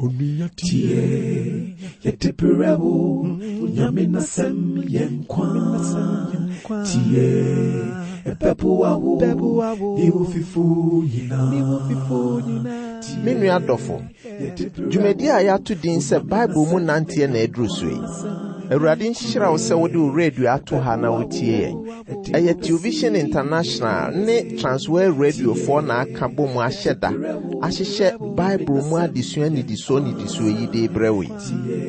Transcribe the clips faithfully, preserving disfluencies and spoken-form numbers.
Tie, yɛde brɛ wo, Nyame n'asɛm yɛ nkwa. Tie, ɛbɛboa wo, ne wo fifo nyinaa. Me nua dɔfo, dwumadi a yɛato din sɛ Bible mu nanteɛ na aduru so yi. Awurade nhyira wo sɛ wode wo radio ato ha na wotie yɛn. Ɛyɛ Television International ne Transworld Radiofoɔ na aka bɔ mu ahyɛ da ahyehyɛ Bible mu adesua nnidisoɔ nnidisoɔ yi de brɛ wo yi.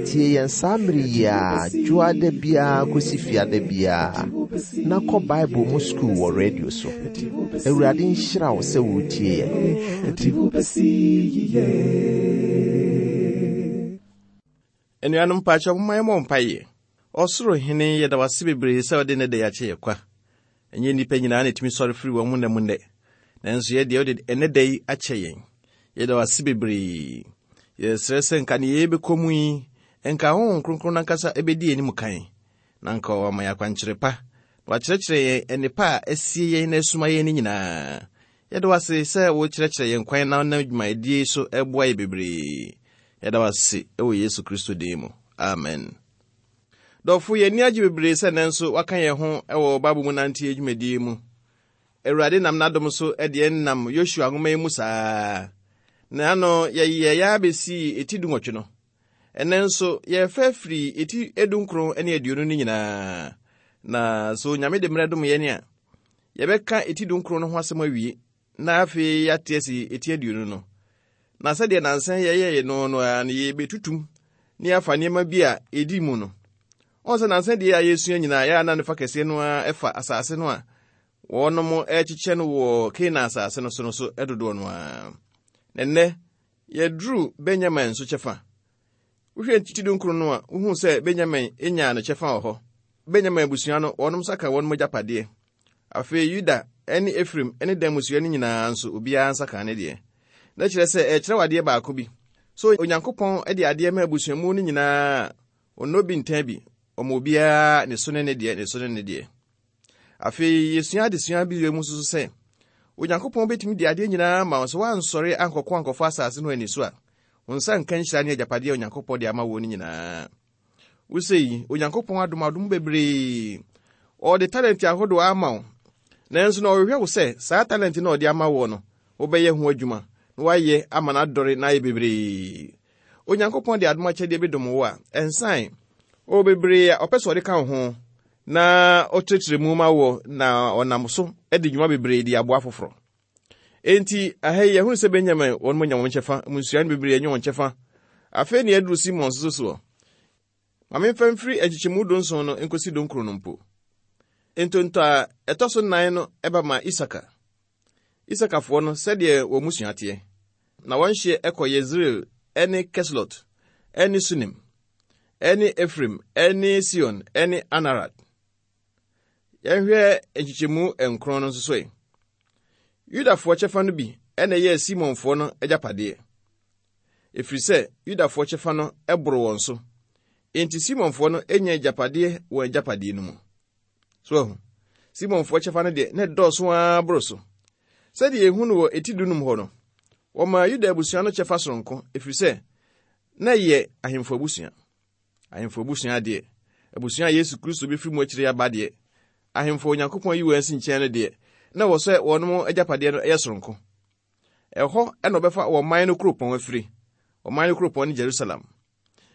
Tie yɛn saa mmere yi a dwoada biara kɔsi fiada biara na kɔ Bible mu sukuu wɔ radio so. Awurade nhyira wo sɛ wotie yɛn. Ɛde wo bɛsi yiye. Anuanom mpaakyɛ, momma yɛmmɔ mpaeɛ. Ɔsoro Hene, yɛda wo ase bebree sɛ wode ne da yi akyɛ yɛ kwa. Ɛnyɛ nnipa nyinaa na ɛtumi sɔre firi wɔn mu nna mu nnɛ, nanso yɛ deɛ, wode ɛnɛ da yi akyɛ yɛn. Yɛda wo ase bebree. Yɛsrɛ sɛ nka ne yɛbɛkɔ mu yi, nka Honhom Kronkron nankasa ɛbɛdi anim kan, na nka wama yɛ akwankyerɛ pa na wakyerɛkyerɛ yɛn nnepa a asie yɛn na asuma yɛn no nyinaa. Yɛda wo ase sɛ wokyerɛkyerɛ yɛn kwan na wonam dwumadie so ɛboa yɛ bebree. Yɛda wo ase ɛwɔ Yesu Kristo din mu, amen. Dɔfo, yɛn ani agye bebree sɛ nnɛ nso waka yɛn ho ɛwɔ Bible mu nanteɛ dwumadie mu. Awurade nam n'adom so ɛde yɛn nam Yosua nwoma yi mu saa na ano yɛyɛ yɛ abɛsii eti dunwɔtwe no. Ɛnɛ nso yɛfɛ firi eti edunkron ne aduonu no nyinaa, na so Nyame de mmerɛ dom yɛn a, yɛbɛka eti dunkron no ho asɛm awie, na afei yɛate asi eti aduonu no. Na sɛdeɛ nansan yɛyɛɛ no no ara no, yɛbɛtutum ne yɛafa nneɛma bi a ɛdi mu no. Ɔn sɛ nansan deɛ a yɛsua nyinaa, yɛa na ne fa kɛseɛ no ara ɛfa asase no a wɔnom ɛkyekyɛ no wɔ Kanaan asase no so no so dodoɔ no ara. Na nnɛ yɛduru Benyamin nso kyɛfa. Wohwɛ ti dunkron no a, wohu sɛ Benyamin nyaa ne kyɛfa wɔ hɔ. Benyamin abusua no, wɔnom nsa ka wɔnom agyapadeɛ. Afei Yuda ne Efraim ne Dan mmusua no nyinaa nso, obiara nsa ka ne deɛ. Na kyerɛ sɛ ɛkyerɛ wo adeɛ baako bi. So Onyankopɔn de adeɛ ma abusuamu no nyinaa, ɔnnɔ bi ntan bi, ɔma obiara ne so ne ne deɛ, ne so ne ne deɛ. Afei yɛsua adesua bi wɔ mu nso sɛ Onyankopɔn bɛtumi de adeɛ nyinaa ma wo, sɛ woansɔre ankɔkɔ ankɔfa asase no ani so a, wo nsa nka nhyira ne agyapadeɛ a Onyankopɔn de ama wo no nyinaa. Wosɛ yi, Onyankopɔn adom adom bebree. Ɔde talent ahodoɔ ama wo, nanso na ɔhwehwɛ wo sɛ saa talent na ɔde ama wo no, wobɛyɛ ho adwuma na woayɛ ama no adɔre na ayɛ bebree. Onyankopɔn de adom akyɛdeɛ bi dom wo a, ɛnsan ɔwɔ bebree a ɔpɛ sɛ ɔde ka wo ho na ɔkyerɛkyerɛ mu ma wo, na ɔnam so de dwuma bebree de aboa foforɔ. Enti aha yi yɛhunu sɛ Benyamin wɔn mu nya wɔn kyɛfa, mmusua no bebree anya wɔn kyɛfa. Afei ne yɛduru Simon nso soɔ. Ma memfa mfiri nkyekyɛmu dunson no nkosi dunkron no mpo. Ntonto a ɛtɔ so nnan no ɛba ma Isaka. Isakafoɔ no, sɛdeɛ wɔn mmusua teɛ, na wɔn hyeɛ ɛkɔ Yesreel ɛne Keslot ɛne Sunem ɛne Efraim ɛne Sion ɛne Anarat. Yɛnhwɛ nkyekyɛmu nkron no nso so yi. Yudafoɔ kyɛfa no bi ɛna ɛyɛɛ Simonfoɔ no agyapadeɛ, ɛfiri sɛ Yudafoɔ kyɛfa no ɛboro wɔn so. Enti Simonfoɔ no anya agyapadeɛ wɔ agyapadeɛ no mu. So ahu, Simonfoɔ kyɛfa no deɛ, na ɛdɔɔso ara boro so. Sɛdeɛ yɛhu no wɔ eti dunum hɔ no, wɔmaa Yuda abusua no kyɛfa soronko, ɛfiri sɛ na ɛyɛ ahemfo abusua. Ahemfo abusua deɛ, abusua a Yesu Kristo bɛfiri mu akyire aba deɛ, ahemfo Onyankopɔn yi wɔn asi nkyɛn no deɛ, na wɔ sɛ wɔnom agyapadeɛ no ɛyɛ soronko. Ɛhɔ ɛna ɔbɛfa wɔn man no kuropɔn afiri. Ɔman no kuropɔn ne Jerusalem.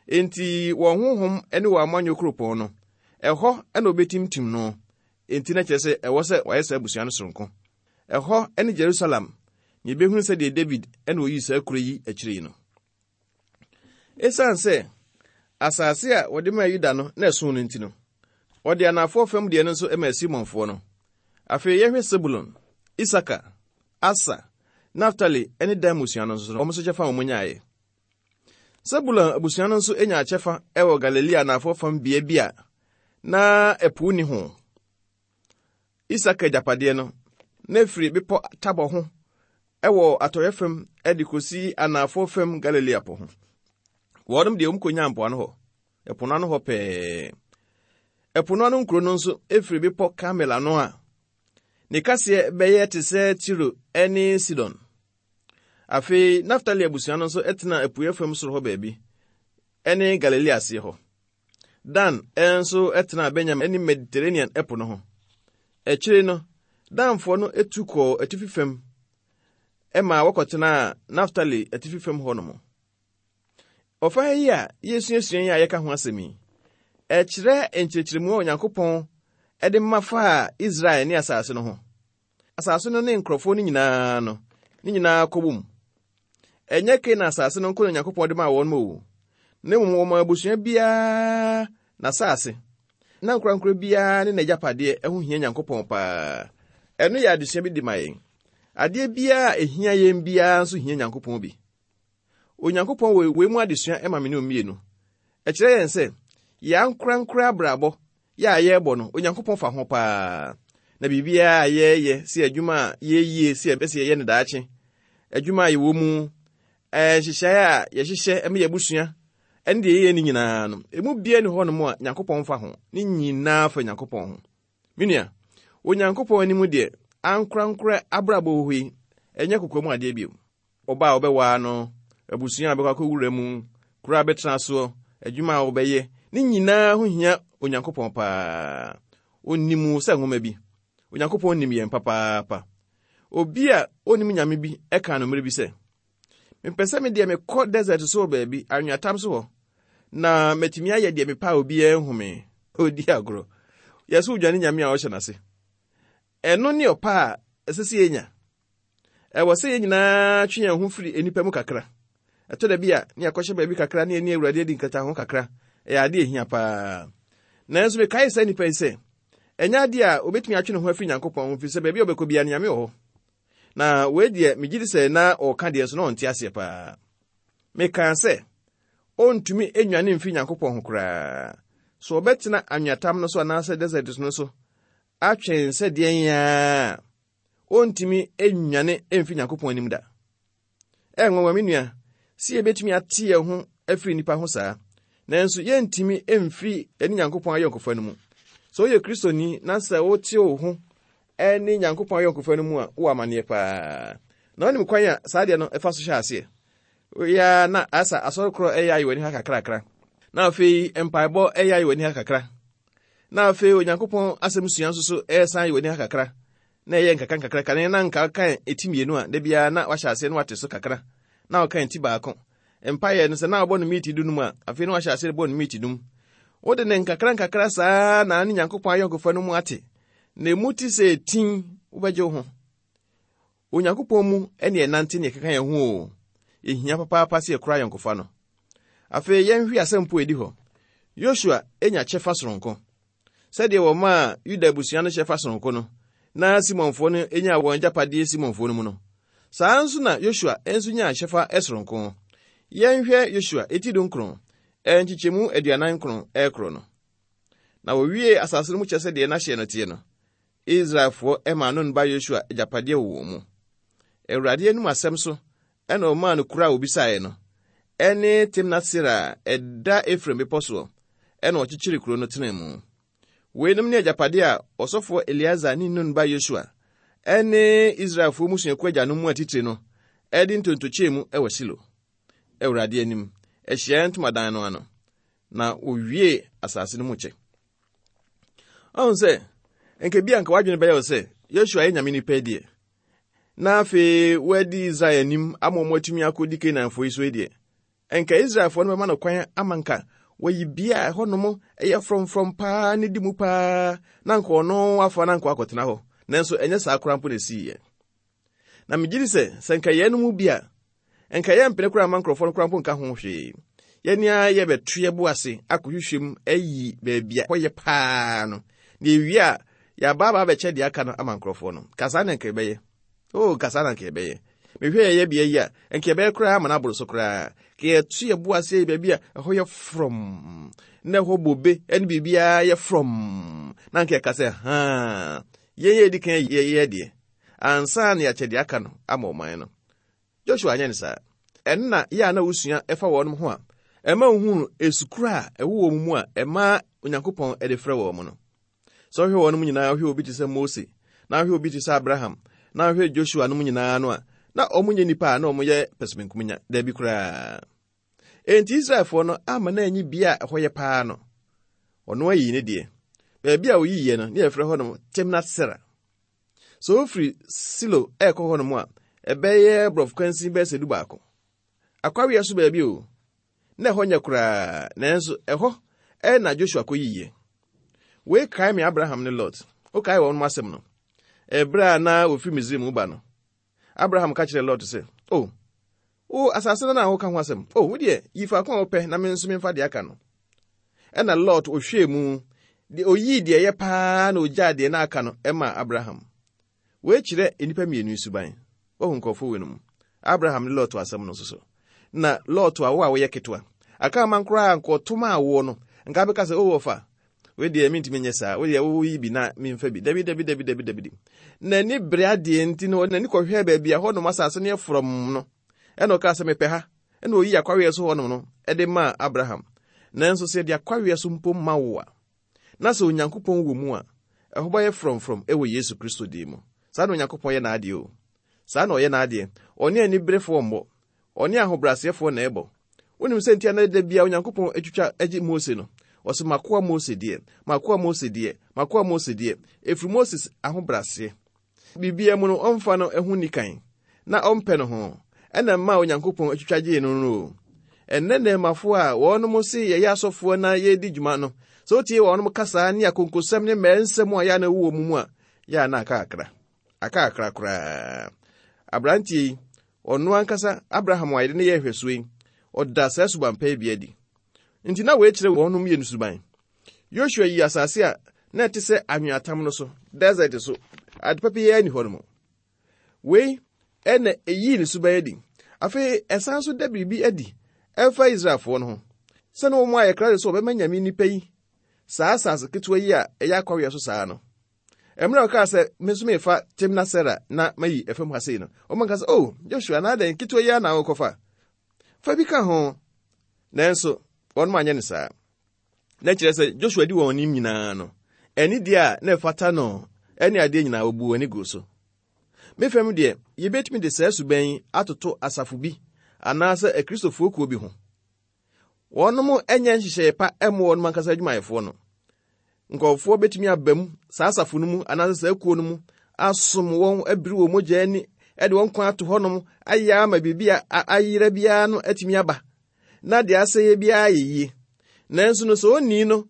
Enti wɔn honhom ne wɔn amanyɔ kuropɔn no, ɛhɔ ɛna ɔbɛtimtim no. Enti na kyerɛ sɛ ɛwɔ sɛ wɔayɛ saa abusua no soronko. Ɛhɔ ne Jerusalem, na yɛbɛhunu sɛdeɛ David ɛna oyii saa kuro yi akyire yi no. Esiane sɛ asase a wɔde maa Yuda no na ɛso no nti no, wɔde anafoɔ fam deɛ no nso maa Simonfoɔ no. Afei yɛhwɛ Sebulon, Isaka, Asa, Naftali ne Dan mmusua no nso, wɔn nso kyɛfa a wɔn nyaeɛ. Sebulon abusua no nso nya kyɛfa wɔ Galilea anafoɔ fam bea bi a na ɛpo ni ho. Isaka agyapadeɛ no na efiri bepɔ Tabor ho ɛwɔ atɔeɛ fam de kɔsi anafoɔ fam Galilea po ho. Wɔnom deɛ, wɔn kɔnya mpoano hɔ, ɛpo no ano hɔ pɛɛ. Ɛpo no ano nkuro no nso efiri bepɔ Karmel ano a ne kaseɛ bɛyɛ te sɛ Tiro ne Sidon. Afei Naftali abusua no nso tenaa apueeɛ fam soro hɔ baabi, ɛne Galilea aseɛ hɔ. Dan nso tenaa Benyamin ne Mediterranean ɛpo no ho. Akyire no, Danfoɔ no tu kɔɔ atifi fam ma wɔkɔtenaa Naftali atifi fam hɔnom. Ɔfa yi a yɛsuasua yi a yɛka ho asɛm yi, ɛkyerɛ nkyerɛkyerɛmu a Onyankopɔn de ma faa Israel ne asase no ho. Asase no ne nkurɔfoɔ no nyinaa no, ne nyinaa kɔbom. Ɛnyɛ Kanaan asase no nko na Onyankopɔn de maa wɔn o, na mmom wɔn abusua biara n'asase, na nkorankora biara ne n'agyapadeɛ ho hia Nyankopɔn paa. Ɛno yɛ adesua bi de ma yɛn. Adeɛ biara a ɛhia yɛn biara nso hia Nyankopɔn bi. Onyankopɔn wɔ wei mu adesua ma me ne mmienu. Ɛkyerɛ yɛn sɛ, yɛn ankorankora abrabɔ yɛ a yɛrebɔ no, Onyankopɔn fa ho paa. Na biribiara a yɛreyɛ, sɛ adwuma a yɛyie, sɛ yɛpɛ sɛ yɛyɛ no daakye, adwuma a yɛwɔ mu, nhyehyɛeɛ a yɛhyehyɛ ma yɛabusua, ɛne deɛ yɛyɛ no nyinaa no, emu biara ni hɔnom a Nyankopɔn fa ho. Ne nyinaa fa Nyankopɔn ho. Me nua, Onyankopɔn anim deɛ, ankorankora abrabɔ wɔ hɔ yi, ɛnyɛ kokoa mu adeɛ bio. Ɔbaa a wobɛwaa no, abusua a wobɛkɔ akɔwura mu, kuro a wobɛtena soɔ, adwuma a wobɛyɛ, ne nyinaa ho hia Onyankopɔn paa. Onim wo sɛ nwoma bi. Onyankopɔn nim yɛn papaapa. Obi a onim Nyame bi ɛka no mmerɛ bi sɛ, mepɛ sɛ me deɛ mekɔ desert so wɔ baabi, anweatam so hɔ, na matumi ayɛ deɛ mepɛ a obiara nhu me. Odi agorɔ. Yɛsɛ wodwane Nyame a ɔhyɛ n'ase. Ɛno ne ɔpa a ɛsɛ sɛ yɛnya. Ɛwɔ sɛ yɛn nyinaa twe yɛn ho firi nnipa mu kakra. Ɛtɔ da bi a ne yɛakɔhyɛ baabi kakra ne yɛne Awurade adi nkataho kakra. Ɛyɛ ade a ɛhia paa. Nanso mekae saa nnipa yi sɛ, ɛnyɛ ade a obetumi atwe ne ho afiri Nyankopɔn ho, firi sɛ baabi a ɔbɛkɔ biara no Nyame wɔ hɔ. Na wei deɛ megye di sɛ na ɔreka deɛ nso na ɔnte aseɛ paa. Mekaa sɛ, ɔntumi nnwane mfiri Nyankopɔn ho koraa. So ɔbɛtena anweatam no so anaasɛ desert no so atwɛn sɛ deɛn a, ɔntumi nnwane mfiri Nyankopɔn anim da. Ɛnwanwa me nua, sɛ yɛbɛtumi ate yɛn ho afiri nnipa ho saa, nanso yɛntumi mfiri yɛne Nyankopɔn ayɔnkofa no mu. Sɛ woyɛ Kristoni na sɛ wote wo ho ne Nyankopɔn ayɔnkofa no mu a, wowɔ amanneɛ paa. Na wonim kwan a saa deɛ no ɛfa so hyɛ aseɛ. Woyɛ na asa asɔre korɔ ɛyɛ ayɛ w'ani ha kakrakra. Na afei mpaebɔ ɛyɛ ayɛ w'ani ha kakra. Na afei Onyankopɔn asɛm sua nso so ɛsan ayɛ w'ani ha kakra. Na ɛyɛ nkakra nkakra kane na nka kan eti mmienu a da biara na wahyɛ aseɛ na wate so kakra. Na ɔka eti baako. Mpaeɛ no sɛ na wabɔ no miiti dunum a, afei na wahyɛ aseɛ bɔ no miiti dum. Wode ne nkakra nkakra saa na ne Nyankopɔn ayɔnkofa no mu ate. Na emu te sɛ etin wobɛgye wo ho. Onyankopɔn mu ne ɛnante ne ɛkeka yɛn ho o. Ehia papaapa sɛ yɛkora ayɔnkofa no. Afei yɛnhwɛ asɛm po edi hɔ. Yosua enya kyɛfa soronko. Sɛdeɛ wɔmaa Yuda abusua no kyɛfa soronko no, na Simonfoɔ no enya wɔn agyapadeɛ Simonfoɔ no mu no, saa nso na Yosua nso nyaa kyɛfa soronko. Yɛnhwɛ Yosua eti dunkron, nkyekyɛmu aduanan nkron ɛrekoro no. Na wɔwie asase no mu kyɛ sɛdeɛ n'ahyeɛ no teɛ no, Israelfoɔ maa Nun ba Yosua agyapadeɛ wɔ wɔn mu. Awurade anim asɛm so ɛna ɔmaa no kuro a obisaeɛ no, ɛne Timnat-Sera a ɛda Efraim bepɔ soɔ, ɛna ɔkyekyere kuro no tenaa mu. Weinom ne agyapadeɛ a ɔsɔfoɔ Eleazar ne Nun ba Yosua ɛne Israelfoɔ mmusuakuo agyanom mu atitire no ɛde ntontokyɛɛ mu ɛwɔ Silo, Awurade anim, ahyiaeɛ ntomadan no ano, na wɔwie asase no mu kyɛ. Ɔhu sɛ, nka bi a nka w'adwene bɛyɛ wo sɛ Yosua yɛ Nyame nipa deɛ, na afei wadi Israel anim ama wɔn atumi akɔdi Kanaanfoɔ yi so yi deɛ, nka Israelfoɔ no bɛma no kwan ama nka wɔyi bea a ɛhɔnom ɛyɛ frɔmfrɔm paa ne di mu paa, na nka ɔno afa na nka wakɔtena hɔ. Nanso ɛnyɛ saa koraa mpo na ɛsiiɛ. Na megye di sɛ, sɛ nka yɛn no mu bi a, nka yɛmpene koraa mma nkurɔfoɔ no koraa mpo nka ho hwee. Yɛne a yɛbɛto yɛbo ase akɔhwehwɛ mu ayi baabi a hɔ yɛ paa no. Na ewie a, yɛaba aba abɛkyɛ deɛ aka no ama nkurɔfoɔ no. Ka saa na nka yɛbɛyɛ. Oh, ka saa na nka yɛbɛyɛ. Mehwɛ yɛyɛ bea yi a, nka yɛbɛyɛ koraa ama no aboro so koraa. Ka yɛto yɛbo ase ayi baabi a ɛhɔ yɛ frɔm, na ɛhɔ bobe ne biribiara yɛ frɔm. Na nka yɛka sɛ, haa, yɛn yɛ edi kan yɛyɛ deɛ, ansa na yɛakyɛ deɛ aka no ama ɔman no. Joshua anyɛ ne saa. Ɛno na yɛ a na wosua ɛfa wɔn ho a, ɛma wohunu esukura a ɛwɔ wɔn mu a ɛma Onyankopɔn de frɛ wɔn no. Sɛ wohwɛ wɔn mu nyinaa, wohwɛ obi te sɛ Mose, na wohwɛ obi te sɛ Abraham, na wohwɛ Joshua no mu nyinaa no a, Na ɔmo nyɛ nnipa a na ɔmo yɛ pɛsɛmenkominya, daabi koraa. Enti Israelfoɔ no ama na anyi bea a ɛhɔ yɛ paa no. Ɔno ayi ne deɛ. Baabi a oyiiɛ no, ne yɛfrɛ hɔ nom Timnat-Sera. Sɛ ofiri Silo ɛrekɔ hɔ nom a, ɛbɛyɛ borɔfo kwansin bɛyɛ sɛ du baako. Akwaweɛ so baabi o. Na ɛhɔ nyɛ koraa, nanso ɛhɔ ɛna Joshua kɔyiiɛ. Wei kae me Abraham ne Lot. Wokae wɔn asɛm no. Ɛberɛ a na wɔfiri Misraim ba no, Abraham ka kyerɛɛ Lot sɛ, "O, wo asase no na woka ho asɛm. O, wo deɛ, yi faako a wopɛ na me nso memfa deɛ aka no." Ɛna Lot ohwɛɛ mu, deɛ oyii deɛ ɛyɛ paa na ogyaa deɛ na aka no ɛmaa Abraham. Wei kyerɛ nnipa mmienu suban. Woahu nkurɔfoɔ wei no mu. Abraham ne Lot asɛm no nso so. Na Lot a wo a woyɛ ketewa. Aka ama koraa nkɔtom a woɔ no, nka bɛka sɛ, "O wɔfa, wei deɛ mentumi nyɛ saa. Wo deɛ woyi bi na memfa bi." Dabi, dabi, dabi, dabi, dabi. N'ani bere adeɛ nti no, n'ani kɔhwɛɛ baabi a hɔnom asase no yɛ frɔmm no. Ɛna ɔkaa sɛ, "Mepɛ ha." Ɛna oyi akwaweɛ so hɔnom no ɛde maa Abraham. Nanso sɛ yɛde akwaweɛ so mpo ma wo a, na sɛ Onyankopɔn wɔ mu a, ɛhɔ bɛyɛ frɔmfrɔm ɛwɔ Yesu Kristo din mu. Saa na Onyankopɔn yɛ n'adeɛ o. Saa na ɔyɛ n'adeɛ. Ɔne aniberefoɔ mmɔ. Ɔne ahobrɛaseɛfoɔ na ɛbɔ. Wonim sɛ nti a na da bia Onyankopɔn atwitwa agye Mose no. Ɔsɛ makoa Mose deɛ, makoa Mose deɛ, makoa Mose deɛ. Ɛfiri Moses ahobrɛaseɛ. Biribiara mu no, ɔmfa no ho nni kan, na ɔmpɛ no ho. Ɛna mma Onyankopɔn atwitwa gyee no no o. Ɛnnɛ nnɛɛmafoɔ a wɔnom se yɛyɛ asɔfoɔ na yɛredi dwuma no, sɛ wotie wɔnom kasa ne akonkosɛm ne mmaa nsɛm a yɛa na ɛwɔ mu mu a, yɛa na aka akra. Aka akra koraa. Aberanteɛ yi, ɔno ankasa Abraham a yɛde ne yɛ nhwɛsoɔ yi, ɔda saa suban pa yi bi adi. Nti na wei kyerɛ wɔnom mmienu suban. Yosua yi asase a na ɛte sɛ anweatam no so, desert so, ade papa yi ani hɔ no mu. Wei ɛna eyii ne suban adi. Afei ɛsan so da biribi adi ɛmfa Israelfoɔ no ho. Sɛ na wɔn ayɛ krado sɛ wɔbɛma Nyame nnipa yi saa asase ketewa yi a ɛyɛ akwaweɛ so saa no. Mmerɛ a ɔkaa sɛ, me nso mefa Timnat-Sera na mayi ɛfam ha sei no, wɔn nka sɛ, "Oh, Joshua, na adɛn ketewa yi a na wokɔfa? Fa bi ka ho." Nanso, wɔn anyɛ no saa. Na kyerɛ sɛ Joshua di wɔn anim nyinaa no, ɛne deɛ a na ɛfata no, ɛne adeɛ nyinaa wɔbu wɔn ani gu so. Me fam deɛ, yɛbɛtumi de saa suban yi atoto asafo bi anaasɛ akristofoɔ kuo bi ho. Wɔnom nyɛ nhyehyɛeɛ pa ɛmmo wɔnom ankasa adwumayɛfoɔ no. Nkurɔfoɔ bɛtumi aba mu saa asafo no mu anaasɛ saa kuo no mu asom wɔn abiri wɔn mogya ani ɛde wɔn kwan ato hɔnom ayɛ ama biribi a ayera biara no atumi aba na deɛ asɛeɛ biara yɛ yie. Nanso no sɛ onii no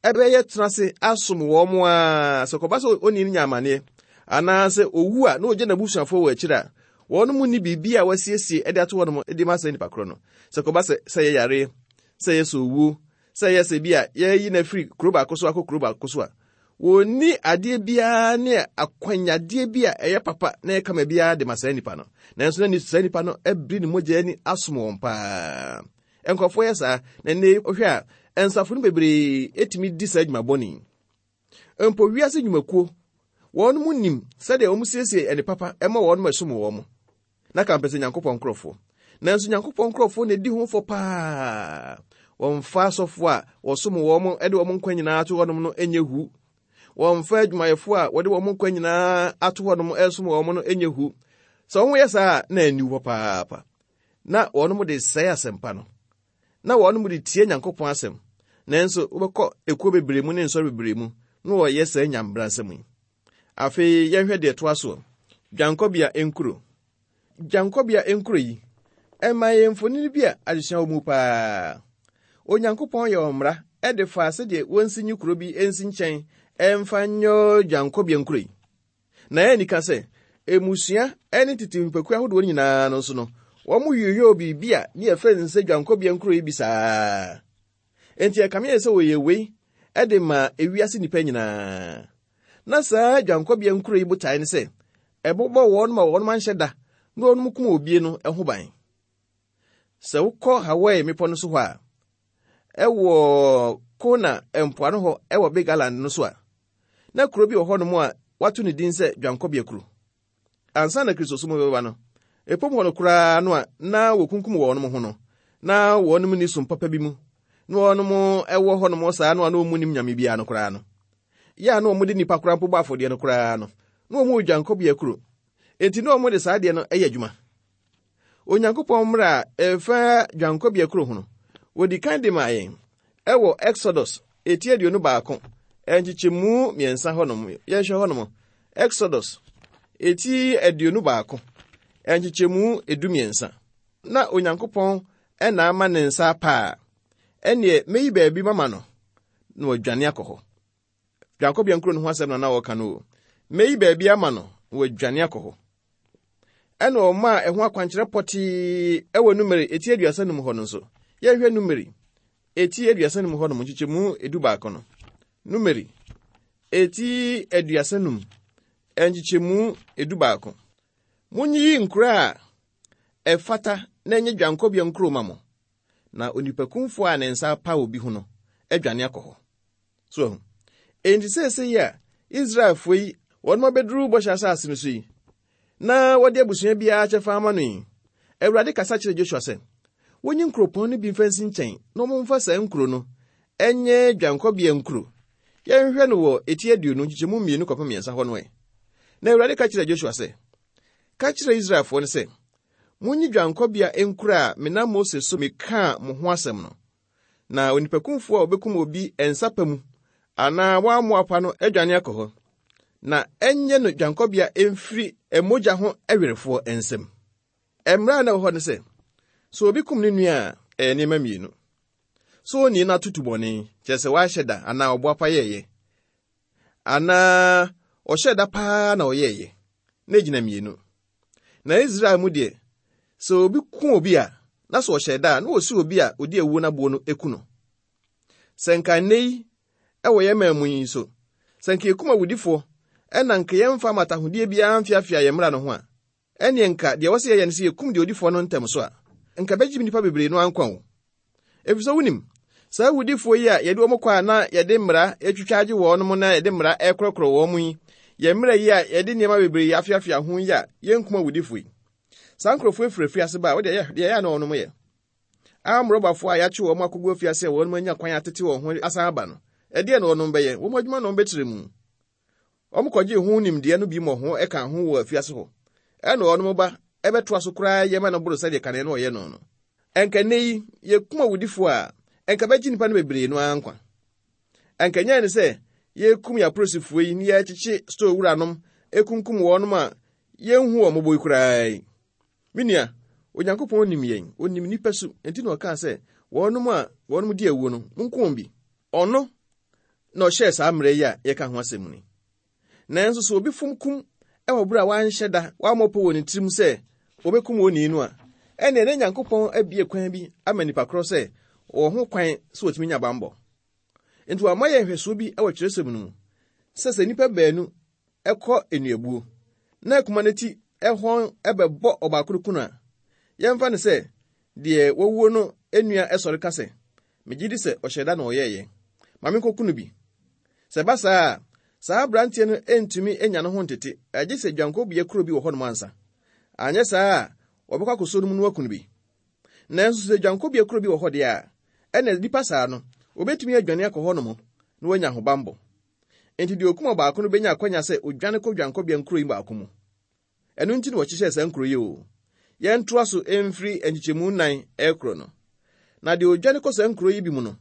ɛbɛyɛ tena ase asom wɔn a, sɛ kɔba sɛ onii no nya amanneɛ anaasɛ owu a na ogya n'abusuafoɔ wɔ akyiri a, wɔn mu nni biribi a wɔasiesie de ato hɔnom de ma saa nipa korɔ no. Sɛ kɔba sɛ sɛ yɛ yareɛ, sɛ yɛ sɛ owuo, sɛ yɛ sɛ bi a yɛyi no afiri kuro baako so akɔ kuro baako so a, wɔnni adeɛ biara ne akwanyadeɛ bi a ɛyɛ papa na ɛyɛ kama biara de ma saa nipa no. Nanso na saa nipa no abiri ne mogya ani asom wɔn paa. Nkurɔfoɔ yɛ saa, na nnɛ wohwɛ a, nsafo no bebree etumi di saa adwuma bɔne yi. Mpo wiase nnwumakuo, wɔn mu nim sɛdeɛ wɔn siesie ɛne papa ɛma wɔn ɛsom wɔn. Na ka mpɛ sɛ Nyankopɔn nkurɔfoɔ. Nanso Nyankopɔn nkurɔfoɔ na edi ho fɔ paa. Wɔmfa asɔfoɔ a wɔsom wɔn de wɔn nkwa nyinaa ato hɔnom no nyɛ hu. Wɔmfa adwumayɛfoɔ a wɔde wɔn nkwa nyinaa ato hɔnom ɛsom wɔn no nyɛ hu. Sɛ wɔn yɛ saa a, na ani hɔ paapa. Na wɔn de sɛe asɛmpa no. Na wɔn de tie Nyankopɔn asɛm. Nanso wobɛkɔ ekuo bebree mu ne nsɔre bebree mu na wɔyɛ saa nyambransɛm yi. Afei yɛnhwɛ deɛ ɛtoa soɔ. Dwankɔbea nkuro. Dwankɔbea nkuro yi, ɛma yɛn mfonini bi a adesua wɔ mu paa. Onyankopɔn yɛ wɔn mmara ɛde fa sɛdeɛ wɔnsi nyi kuro bi nsi nkyɛn ɛmfa nyɛ dwankɔbea nkuro yi. Na ɛyɛ nika sɛ emusua ɛne tete nipakuo ahodoɔ nyinaa no nso no, wɔn yoyoo biribi a ne yɛfrɛ no sɛ dwankɔbea nkuro yi bi saa. Enti ɛkame yɛ sɛ wɔyɛ wei ɛde ma ewiase nnipa nyinaa. Na saa dwankɔbea nkuro yi botae ne sɛ ɛbɛbɔ wɔn ma wɔn anhyɛ da na wɔn kum obie no ho ban. Sɛ wokɔ Hawaii mmepɔ no so hɔ a, ɛwɔ Kona mpoano hɔ ɛwɔ Big Island no so a, na kuro bi wɔ hɔnom a wato ne din sɛ dwankɔbea kuro. Ansa na Kristosom bɛba no, epom hɔ no koraa no a na wɔkunkum wɔn ho no, na wɔn ni som papa bi mu, na wɔn ɛwɔ hɔnom saa no a na wɔn nim nyame biara no koraa no. Yɛ a na wɔn de nipa koraa mpo bɔ afɔdeɛ no koraa no, na wɔn wɔ dwankɔbea kuro. Enti na wɔn de saa adeɛ no yɛ adwuma. Onyankopɔn mmara a ɛfa dwankɔbea kuro ho no, wɔdi kan de maa yɛn ɛwɔ Exodus eti aduonu baako nkyekyɛmu mmiɛnsa hɔnom. Yɛnhwɛ hɔnom. Exodus eti aduonu baako nkyekyɛmu edu mmiɛnsa. Na Onyankopɔn ɛna ama ne nsa apa a, ɛneɛ meyi baabi mama no na wadwane akɔ hɔ. Dwankɔbea nkuro no ho asɛm na na wɔka no o. Meyi baabi ama no na wadwane akɔ hɔ. Ɛna ɔma a ɛho akwankyerɛ pɔtee ɛwɔ Numeri eti aduasa num hɔ no nso. Yɛnhwɛ Numeri eti aduasa num hɔ nom nkyekyɛmu edu baako no. Numeri eti aduasa num nkyekyɛmu edu baako. Monyiyi nkuro a ɛfata na ɛnyɛ dwankɔbea nkuro ma mo, na onipakumfoɔ a ne nsa apa obi ho no adwane akɔ hɔ. So ahu. Enti seesei yi a Israelfoɔ yi wɔn abɛduru bɔhyɛ asase no so yi, na wɔde abusua biara kyɛfa ama no yi, Awurade kasa kyerɛ Joshua sɛ, wonyi nkuropɔn no bi mfa nsi nkyɛn na wɔmfa saa nkuro no ɛnyɛ dwankɔbea nkuro. Yɛnhwɛ no wɔ eti aduonu nkyekyɛmu mmienu kɔpem mmiɛnsa hɔ no ɛ. Na Awurade ka kyerɛ Joshua sɛ, ka kyerɛ Israelfoɔ no sɛ, monyi dwankɔbea nkuro a menam Mose so mekaa mo ho asɛm no. Na onipakumfoɔ a obekum obi nsa pa mu anaa wammoa no adwane akɔ hɔ, na ɛnyɛ no dwankɔbea mfiri mogya ho awerefoɔ nsam. Mmara a na ɛwɔ hɔ ne sɛ, sɛ obi kum ne nua a, ɛyɛ nneɛma mmienu. Sɛ onii no atoto bɔne, kyerɛ sɛ wahyɛ da anaa ɔboapa yɛɛyɛ, anaa ɔhyɛ da paa na ɔyɛɛyɛ, na egyina mmienu. Na Israel mu deɛ, sɛ obi ku obi a, na sɛ ɔhyɛ da a, na wɔsi obi a odi awuo n'aboɔ no eku no. Sɛ nka nnɛ yi, ɛwɔ yɛn man mu yi nso, sɛ nka yɛkum awudifoɔ, ɛna nka yɛmfa amatahodie biara mfiafia yɛn mmara no ho a, ɛneɛ nka deɛ wɔsɛ yɛyɛ no sɛ yɛkum deɛ odifoɔ no ntɛm so a, nka bɛgye nnipa bebree no ankwa wo. Ɛfiri sɛ wonim, saa awudifoɔ yi a yɛde wɔn kɔ a na yɛde mmara atwitwa agye wɔn mo na yɛde mmara ɛkorɔkorɔ wɔn mu yi, yɛn mmara yi a yɛde nneɛma bebree afiafia ho yi a yɛnkum awudifoɔ yi. Saa nkurɔfoɔ afiri afiase ba a, wɔde deɛ ɛyɛ a na wɔnom yɛ. Amrɔbafoɔ a yɛakye wɔn akɔgu afiase a wɔnom anya kwan atete wɔn ho asan aba no, ɛdeɛ na wɔnom bɛyɛ? Wɔn adwuma na wɔn bɛkyerɛ mu. Wɔn kɔgye ho nimdeɛ no bi mmɔ ho ɛka ho wɔ afiase hɔ. Ɛna wɔnom ba ɛbɛtoa so koraa yɛ ma no boro sɛdeɛ kane no ɔyɛ no no. Ɛnka nnɛ yi, yɛkum awudifoɔ a, ɛnka bɛgye nnipa no bebree no ara nkwa. Ɛnka nyɛ ne sɛ yɛkum yɛ apolisifoɔ yi ne yɛkyekye store wuranom ekunkum wɔnom a yɛnhu wɔn mmɔbɔ yi koraa yi. Me nua, Onyankopɔn nim yɛn, onim nnipa su, enti na ɔkaa sɛ wɔnom a wɔnom di awuo no, monko wɔn bi. Ɔno na ɔhyɛɛ saa mmerɛ yi a yɛka ho asɛm ni. Nanso sɛ obi fom kum ɛwɔ bere a wanhyɛ da, wammɔ pɔ wɔ ne tirim sɛ obekum onii no a, ɛnneɛ na Nyankopɔn abue kwan bi ama nnipa korɔ sɛ wɔwɔ ho kwan sɛ wɔtumi nya bammɔ. Enti wama yɛn nhwɛsoɔ bi wɔ kyerɛwsɛm no mu sɛ sɛ nnipa baanu ɛkɔ nnuabuo na akuma no ti ɛhɔn ɛbɛbɔ ɔbaako no kunu a, yɛmfa no sɛ deɛ wɔwuo no nua ɛsɔre ka sɛ, megye di sɛ ɔhyɛ da na ɔyɛɛyɛ, ma menkɔku no bi. Sɛ ɛba saa a, saa aberanteɛ no ntumi nya ne ho ntete, agye sɛ dwankɔbea kuro bi wɔ hɔnom ansa. Anyɛ saa a, wɔbɛkɔ akɔsɔ no mu no aku no bi. Nanso sɛ dwankɔbea kuro bi wɔ hɔ deɛ a, ɛna nnipa saa no, obetumi adwane akɔ hɔnom na wanya ahobammɔ. Enti deɛ okum ɔbaako no benya akwanya sɛ odwane kɔ dwankɔbea nkuro yi baako mu. Ɛno nti na wɔhyehyɛɛ saa nkuro yi o. Yɛntoa so mfiri nkyekyɛmu nnan ɛkorɔ no. Na deɛ odwane kɔ saa nkuro yi bi mu no,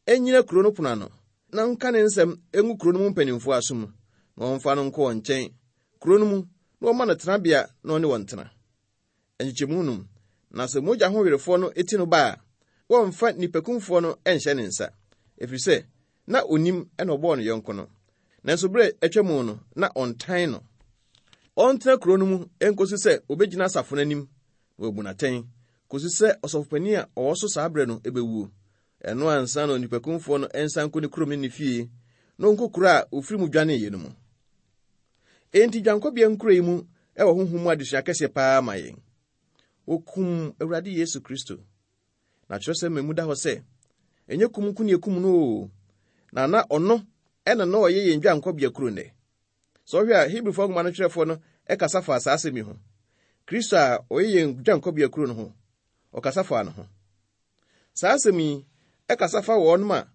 ɛnnyina kuro no pono ano, na nka ne nsɛm ngu kuro no mu mpanimfoɔ aso mu, na wɔmfa no nkɔ wɔn nkyɛn kuro no mu, na wɔma no tenabea na ɔne wɔn tena. Nkyekyɛmu num, na sɛ mogya ho werefoɔ no ti no ba a, wɔmfa nnipakumfoɔ no nhyɛ ne nsa, ɛfiri sɛ na onim ɛna ɔbɔɔ ne yɔnko no. Nanso berɛ a atwa mu no, na ɔntan no. Ɔntena kuro no mu nkosi sɛ obɛgyina asafo no anim na wabu n'atɛn, kosi sɛ ɔsɔfopanin a ɔwɔ so saa berɛ no bɛwuo. Ɛno ansa na onipakumfoɔ no nsan nkɔ ne kurom ne ne fie, na ɔnkɔ kuro a ofiri mu dwaneeɛ no mu. Enti dwankɔbea nkuro yi mu ɛwɔ honhom mu adesua kɛseɛ paa ma yɛn. Wɔkum Awurade Yesu Kristo. Na kyerɛwsɛm ma mu da hɔ sɛ, ɛnyɛ kum nko ne ekum no o, na na ɔno ɛna na ɔyɛ yɛn dwankɔbea kuro nnɛ. Sɛ ɔhwɛ a, Hebrifoɔ nwoma no twerɛfoɔ no ɛkasa fa saa asɛm yi ho. Kristo a ɔyɛ yɛn dwankɔbea kuro no ho, ɔkasa fa no ho. Saa asɛm yi ɛkasa fa wɔnom a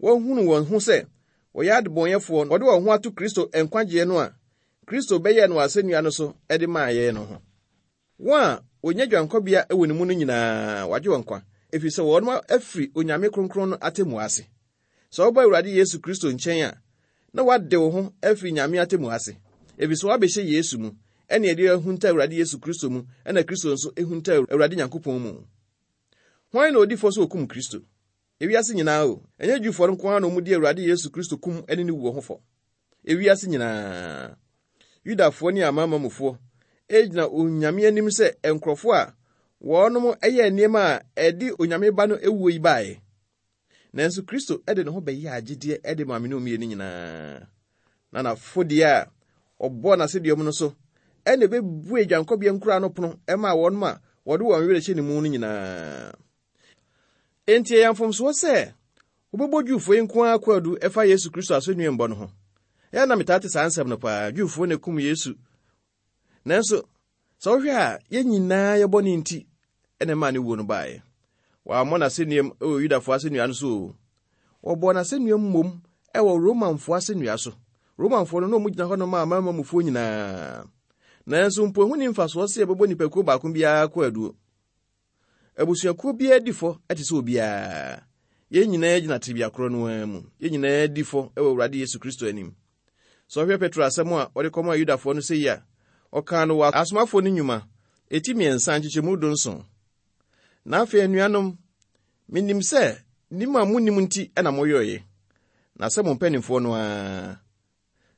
wɔhunu wɔn ho sɛ wɔyɛ adebɔnyɛfoɔ, wɔde wɔn ho ato Kristo nkwagyeɛ no a Kristo bɛyɛɛ no wɔ asɛnnua no so de maa yɛn no ho. Wɔn a wɔnya dwankɔbea wɔ ne mu no nyinaa, wagye wɔn nkwa, ɛfiri sɛ wɔnom afiri Onyame Kronkron no atemmu ase. Sɛ woba Awurade Yesu Kristo nkyɛn a, na woade wo ho afiri Nyame atemmu ase, ɛfiri sɛ woabɛhyɛ Yesu mu, ɛne ɛde ahunta Awurade Yesu Kristo mu, ɛna Kristo nso ehunta Awurade Nyankopɔn mu. Hwan na odi fɔ sɛ okum Kristo? Ewiase nyinaa o, ɛnyɛ Jewfoɔ no nko ara na wɔn di Awurade Yesu Kristo kum ne ne wuo ho fɔ. Ewiase nyinaa, Yudafoɔ ne amanamanmufoɔ egyina Onyame anim sɛ nkurɔfoɔ a wɔnom ɛyɛ nneɛma a ɛde Onyame ba no ewuo yi baeɛ. Nanso Kristo de ne ho bɛyɛ agyedeɛ de ma me ne mmienu nyinaa. Na n'afodeɛ a ɔbɔɔ n'asɛdua mu no so ɛna ɛbɛbue dwankɔbea nkura no pono ɛmaa wɔnom a wɔde wɔn werɛ hyɛ ne mu no nyinaa. Enti ɛyɛ mfomsoɔ sɛ wobɛbɔ Jewfoɔ yi nko ara kwaadu ɛfa Yesu Kristo asɛnnuambɔ no ho. Ɛyɛ na metaa te saa nsɛm no paa, Jewfoɔ na ekum Yesu. Nanso, sɛ wohwɛ a, yɛn nyinaa yɛbɔ ne nti ɛna ɛmaa ne wuo no baeɛ. Wɔammɔ n'asɛnnuam wɔ Yudafoɔ asɛnnua no so o. Wɔbɔɔ n'asɛnnuam mmom ɛwɔ Romanfoɔ asɛnnua so. Romanfoɔ no na wɔn gyina hɔ nom a amanamanmufoɔ nyinaa. Nanso mpo ɛho nni mfasoɔ sɛ yɛbɛbɔ nipakuo baako biara kwaadu. Abusuakuo biara di fɔ te sɛ obiara. Yɛn nyinaa gyina tebea korɔ no ara mu. Yɛn nyinaa di fɔ wɔ Awurade Yesu Kristo anim. Sɛ ɔhwɛ Petro asɛm a ɔde kɔmaa Yudafoɔ no sɛ yi a, ɔkaa no wɔ asomafoɔ no nnwuma, eti mmiɛnsa nkyekyɛmu dunson. Na afei anuanom, menim sɛ nim a munnim nti na moyɔeɛ, na sɛ mo mpanimfoɔ no ara.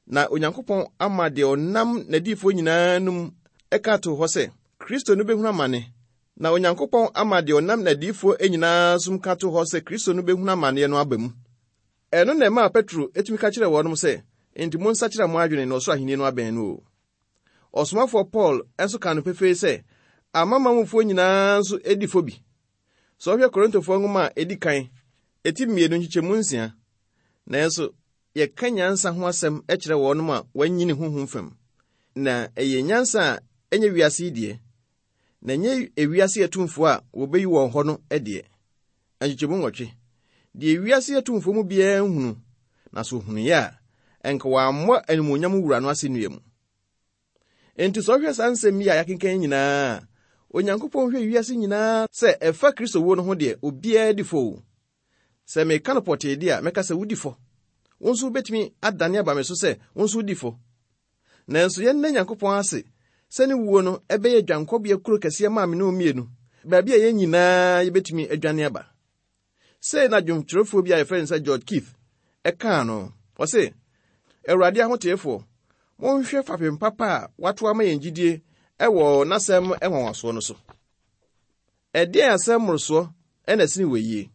Na Onyankopɔn ama deɛ ɔnam n'adiyifoɔ nyinaa nom ɛka too hɔ sɛ Kristo no bɛhunu amane. Na Onyankopɔn ama deɛ ɔnam n'adiyifoɔ nyinaa som ka too hɔ sɛ Kristo no bɛhunu amanneɛ no aba mu. Ɛno na ɛmaa Petro etumi ka kyerɛɛ wɔnom sɛ, enti monsakyera mo adwene na ɔsoro ahenni no abɛn no o. Ɔsomafoɔ Paul nso ka no pefee sɛ amanamanmufoɔ nyinaa nso edi fɔ bi. Sɛ ɔhwɛ Korintofoɔ nwoma a edi kan, eti mmienu nkyekyɛmu nsia. Nanso yɛka nyansa ho asɛm kyerɛ wɔnom a wɔanyini honhom fam. Na ɛyɛ nyansa a ɛnyɛ wiase yi deɛ, na ɛnyɛ ewiase atumfoɔ a wɔbɛyi wɔn hɔ no deɛ. Nkyekyɛmu nwɔtwe. Deɛ ewiase atumfoɔ mu biara nhunu, na so ohunuiɛ a, ɛnka wɔammɔ animuonyam wura no asɛnnua mu. Enti sɛ ɔhwɛ saa nsɛm yi a yɛakenkan nyinaa, Onyankopɔn hwɛ wiase nyinaa sɛ ɛfa Kristo wuo no ho deɛ, obiara di fɔ o. Sɛ meka no pɔtee de a, mɛka sɛ wodi fɔ. Wo nso wobɛtumi adane aba me so sɛ wo nso wodi fɔ. Nanso yɛnna Nyankopɔn ase sɛ ne wuo no ɛbɛyɛ dwankɔbea kuro kɛseɛ maa me ne wo mmienu, baabi a yɛn nyinaa yɛbɛtumi adwane aba. Sei na dwomkyerɛfoɔ bi a yɛfrɛ no sɛ George Keith ɛkaa no. Ɔse, Awurade ahoteefoɔ, monhwɛ fapem papa a wato ama yɛn gyidie ɛwɔ n'asɛm nwanwasoɔ no so. Ɛdeɛn asɛm mmorosoɔ ɛna ɛsene wɔ yie?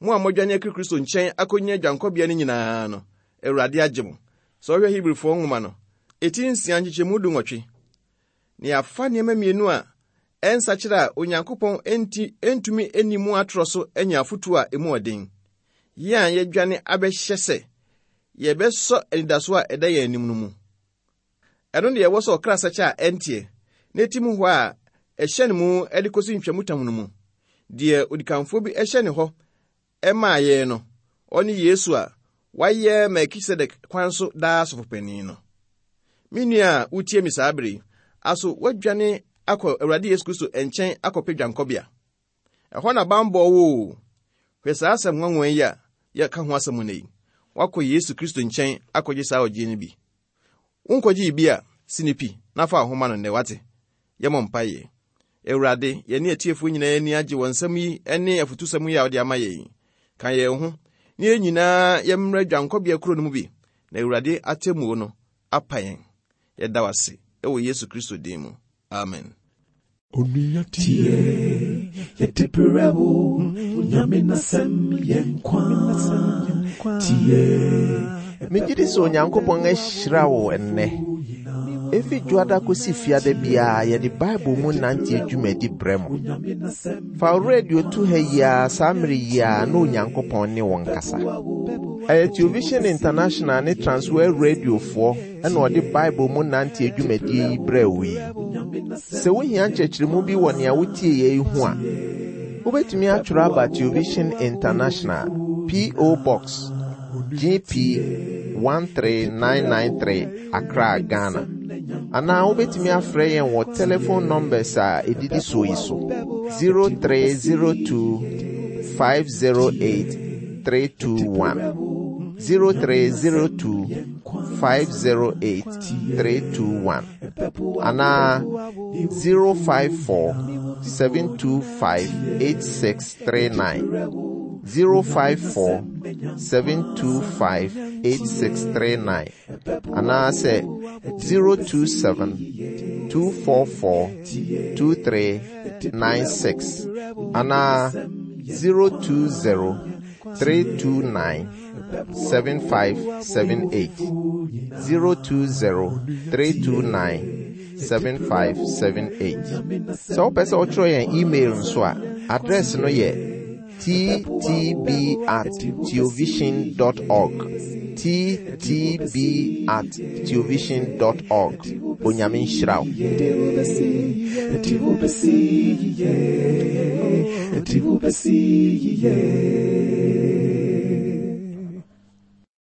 Mo a modwane akiri Kristo nkyɛn akɔnya dwankɔbea no nyinaa no, Awurade agye mo. Sɛ ɔhwɛ Hebrifoɔ nwoma no, eti nsia nkyekyɛmu du nwɔtwe. Na yɛafa nneɛma mmienu a ɛnsakyera a Onyankopɔn enti ntumi nni mu atorɔ so anya afotu a emu ɔden. Yɛn a yɛdwane abɛhyɛ sɛ yɛbɛsɔ anidasoɔ a ɛda yɛn anim no mu. Ɛno deɛ ɛwɔ sɛ ɔkra sɛkyɛ a ɛnteɛ, na etim hɔ a ɛhyɛ ne mu de kɔsi ntwamutam no mu. Deɛ odikanfoɔ bi hyɛ ne hɔ ɛmaa yɛn no, ɔne Yesu a wayɛ Melkisedek kwan so daa sɔfopanin no. Me nua a wotie me saa bere yi, aso woadwane akɔ Awurade Yesu Kristo nkyɛn akɔpɛ dwankɔbea. Ɛhɔ na bammɔ wɔ o. Hwɛ saa asɛm nwanwa yi a yɛka ho asɛm nnɛ yi. Woakɔ Yesu Kristo nkyɛn akɔgye saa ɔgye no bi. Wonkɔgyee bi a, si ne pi na fa wo ho ma no nnɛ wate. Yɛmmɔ mpaeɛ. Awurade, yɛne atiefoɔ nyinaa ani agye wɔ nsɛm yi ne afotusɛm yi a wode ama yɛn. Ka yɛn ho, na yɛn nyinaa yɛmmrɛ dwankɔbea kuro no mu bi, na Awurade atemmuo no apa yɛn. Yɛda wo ase ɛwɔ Yesu Kristo din mu. Amen. Onua tie, yɛde brɛ wo, Onyame n'asɛm yɛ nkwa. Tie, Megye di sɛ Onyankopɔn ahyira wo ɛnnɛ. Efi dwoada kɔsi fiada biara yɛde Bible mu nante dwumadi brɛ mo. Fa wo radio to ha yi ara saa mmere yi ara na Onyankopɔn ne wo nkasa. Ɛyɛ Television International ne Transworld Radiofoɔ ɛna ɔde Bible mu nante dwumadie yi brɛ wo yi. Sɛ wohia nkyerɛkyerɛmu bi wɔ nea wotie yɛ yi ho a, wobɛtumi atwerɛ aba Television International, P O. Box G P one three nine nine three, Accra, Ghana. Anaa wobɛtumi afrɛ yɛn wɔ telephone numbers a ɛdidi so yi so: zero three zero two five zero eight three two one, zero three zero two five zero eight three two one, anaa zero five four seven two five eight six three nine, zero five four seven two five eight six three nine, anaasɛ zero two seven two four four two three nine six, anaa zero two zero three two nine seven five seven eight, zero two zero three two nine seven five seven eight. Sɛ wopɛ sɛ wotwerɛ yɛn email nso a, address no yɛ T T B at theovision dot org, T T B at theovision dot org. Onyame nhyira wo. Yɛde wobɛsi, yɛde wobɛsi yie, yɛde wobɛsi yie.